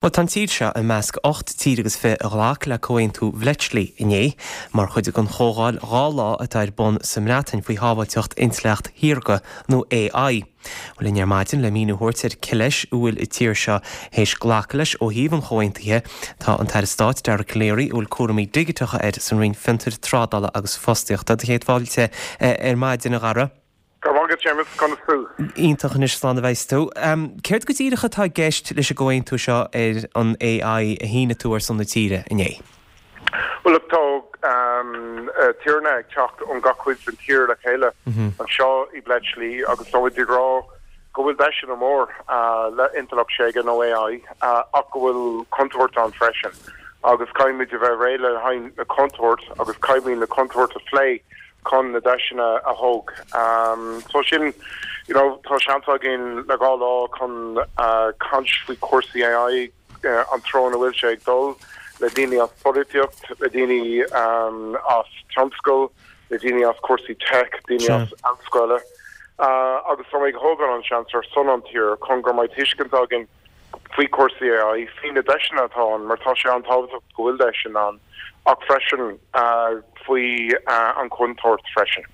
Bhuel, tá an tír seo i measc 18 tír agus 20 a ghlac le Comhaontú Bhletchley inné, mar chuid den chomhdháil 2 lá atá ar bun sa mBreatain faoi shábháilteacht intleacht shaorga, nó AI. Bhuel, linn ar maidin le míniú a thabhairt ar cé leis a bhfuil an tír seo théis glacadh leis ó thaobh an chomhaontaithe, tá an tAire Stáit Dara Calleary, a bhfuil cúraimí digiteacha air san Roinn Fiontair, Trádála agus Fostaíochta. Do chéad fáilte ar maidin, a Dhara. Go raibh maith agat, Séamus. Conas tú? Iontach anois, slán a bheas tú. Céard go díreach atá i gceist leis an gcomhaontú seo ar an AI a shínigh tú ar son na tíre inné? Bhuel, look, tá tíortha ag teacht ón gach cuid den tír le chéile anseo i Bletchley agus tá muid ag rá go bhfuil deiseanna mór le intleacht shaorga nó AI ach go bhfuil contúirt ann freisin agus caithfimid a bheith réidh le haghaidh na contúirt agus caithfimid na contúirt a phlé chun na deiseanna a thóg. So sin, you know, tá seans againn le 2 lá chun caint faoi chúrsaí AI, an treo ina bhfuil sé ag dul, le daoine as polaitíocht, le daoine as tionscal, le daoine as cúrsaí tech, daoine as ollscoile. Agus tá mé ag thógáil an seans ar son an tír chun go mbeidh tuiscint againn faoi chúrsaí AI, faoi na deiseanna atá ann, mar tá sé an-tábhachtach go bhfuil deiseanna ann, ach freisin faoi an chontúirt freisin.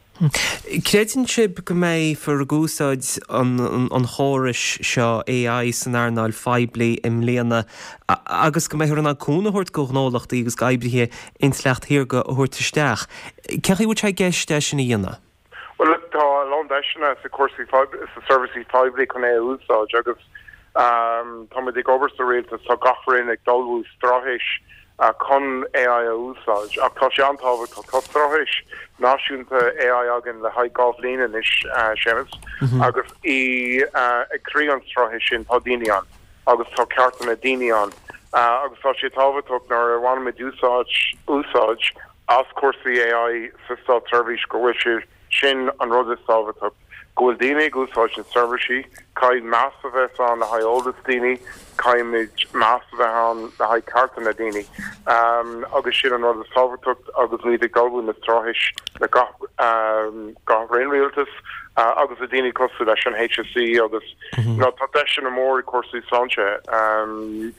Creideann sibh go mbeifear ag úsáid an chórais seo AI san earnáil phoiblí i mbliana agus go mbeifear in ann cúnamh a thabhairt do ghnólachtaí agus d'oibrithe intleacht shaorga a thabhairt isteach? Cén chaoi a bhfuil sé i gceist é sin a dhéanamh? Bhuel, look, tá a lán deiseanna sa cúrsaí sa seirbhísí poiblí chun é a úsáid agus táimid ag obair sa rialtas, tá gach roinn ag ullmhú straitéis chun AI a úsáid ach tá sé an-tábhachtach, tá straitéis náisiúnta AI againn le haghaidh 2 bhliain anois, Séamus, agus i ag croí an straitéis sin tá daoine ann agus tá cearta na daoine ann agus tá sé tábhachtach nuair a bhainimid úsáid úsáid as cúrsaí AI sa státseirbhís go bhfuil sé sin an rud is tábhachtach, go bhfuil daoine ag úsáid na seirbhísí, caithfidh meas a bheith ann le haghaidh eolas daoine, caithfimid meas a bheith ann le haghaidh cearta na daoine agus sin an rud is tábhachtach agus muid ag ullmhú na straitéis le gach gach roinn rialtais agus le daoine cosúil leis an HSE agus you know tá deiseanna mór i cúrsaí sláinte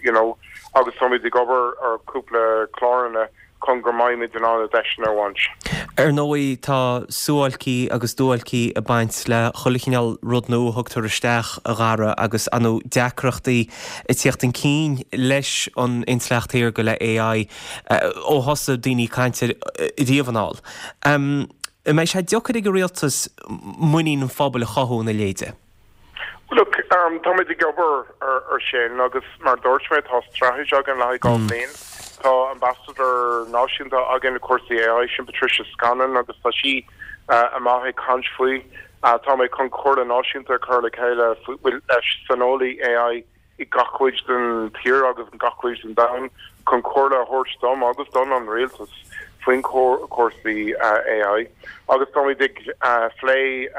you know agus táimid ag obair ar cúpla cláranna chun go mbeimid in ann na deiseanna a bhaint. Ar ndóigh, tá suáilcí agus duáilcí ag baint le chuile chineál rud nua a thugtar isteach, a Dhara, agus ar ndóigh deacrachtaí ag tíocht chun cinn leis an intleacht shaorga, le AI, ó thosaigh daoine ag caint air riamh anall. An mbeidh sé deacair ag an rialtas muinín an phobail a chothú ina leithéide? Look, táimid ag obair ar sin agus mar a dúirt mé tá straitéis againn le haghaidh 2 bhliain. Tá ambasadóir náisiúnta againn i cúrsaí AI, sin Patricia Scanlon agus tá sí amach ag caint faoi. Tá mé chun comhairle náisiúnta a chur le chéile leis saineolaí AI i gach cuid den tír agus in gach cuid den domhan chun comhairle a thabhairt dom agus don an rialtas faoin cúrsaí AI agus táimid ag phlé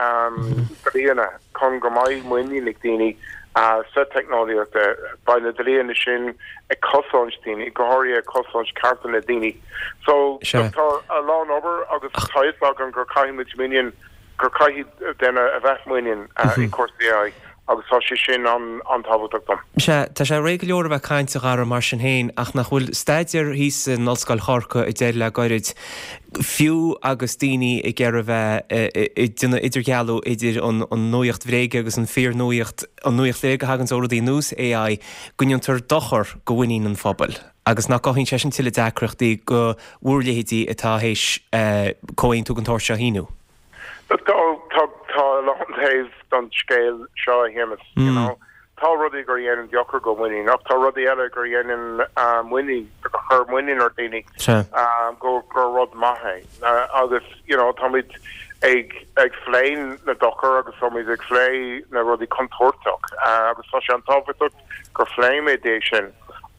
dlíthe chun go mbeidh muinín ag daoine sa teicneolaíocht. Beidh na dlíthe sin ag cosaint daoine, go háirithe ag cosaint cearta na daoine. So tá a lán obair agus tá fhios agam gur caithfimid muinín gur caithfidh duine a bheith muinín i cúrsaí AI agus tá sé sin an-tábhachtach dom. Sea, tá sé réidh go leor a bheith ag caint, a Dhara, mar sin féin, ach nach bhfuil staidéar thíos in Ollscoil Chorcaí a deir le goirid, fiú agus daoine ag iarraidh a bheith ag déanamh idirdhealú idir an nuaíocht bhréige agus an fíornuaíocht, an nuaíocht bhréige a thaganns ó rudaí ar nós AI, go ndéantar dochar do mhuinín an phobail agus nach gcothaíonn sé sin tuilleadh deacrachtaí do bhur leithéidí atá théis comhaontú den tsórt seo a shíniú. Look, tá, tá, tá a lán taobh don scéal seo, a Shéamus, you know. Tá rudaí gur dhéanann dochar go muinín, ach tá rudaí eile gur dhéanann muinín, gur chuir muinín ar daoine go, gur rud maith é. Agus, you know, táimid ag, ag phlé na dochar agus táimid ag phlé na rudaí contúirteach agus tá sé an-tábhachtach gur phléimid é sin,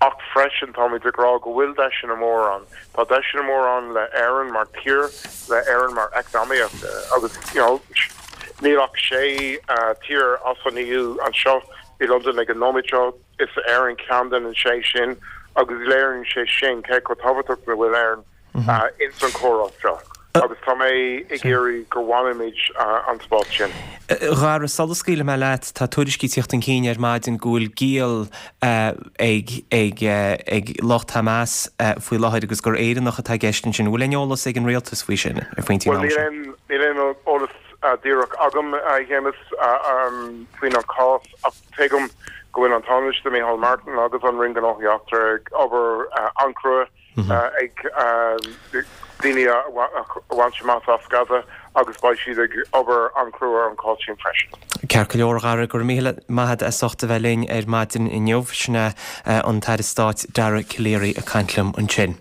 ach freisin táimid ag rá go bhfuil deiseanna mór ann. Tá deiseanna mór ann le Éirinn mar tír, le Éirinn mar eacnamaíocht agus you know níl ach sé tír as an EU anseo i Londain ag an nóiméad seo, is Éirinn ceann den sé sin agus léiríonn sé sin cé chomh tábhachtach a bhfuil Éirinn ins an chomhrá seo. Agus tá mé ag iarraidh go bhfanfaimid an spás sin. A Dhara, sula scaoilfidh mé leat, tá tuairiscí ag tíocht chun cinn ar maidin go bhfuil giall ag ag ag lucht Hamas faoi láthair agus gur Éireannach atá i gceist ansin. An bhfuil aon eolas ag an rialtas faoi sin ar phointí an ama seo? Bhuel, níl aon eolas díreach agam, a Shéamus, faoin an cás ach tuigim go bhfuil an Tánaiste Micheál Martin agus an Roinn Gnóthaí Eachtracha ag obair an-chrua ag daoine a bhaint amach as Gaza agus beidh siad ag obair an-chrua ar an chás sin freisin. Ceart go leor, a Dhara, go raibh míle maith agat as ucht a bheith linn ar maidin inniu. Sin é an tAire Stáit Dara Calleary ag caint liom ansin.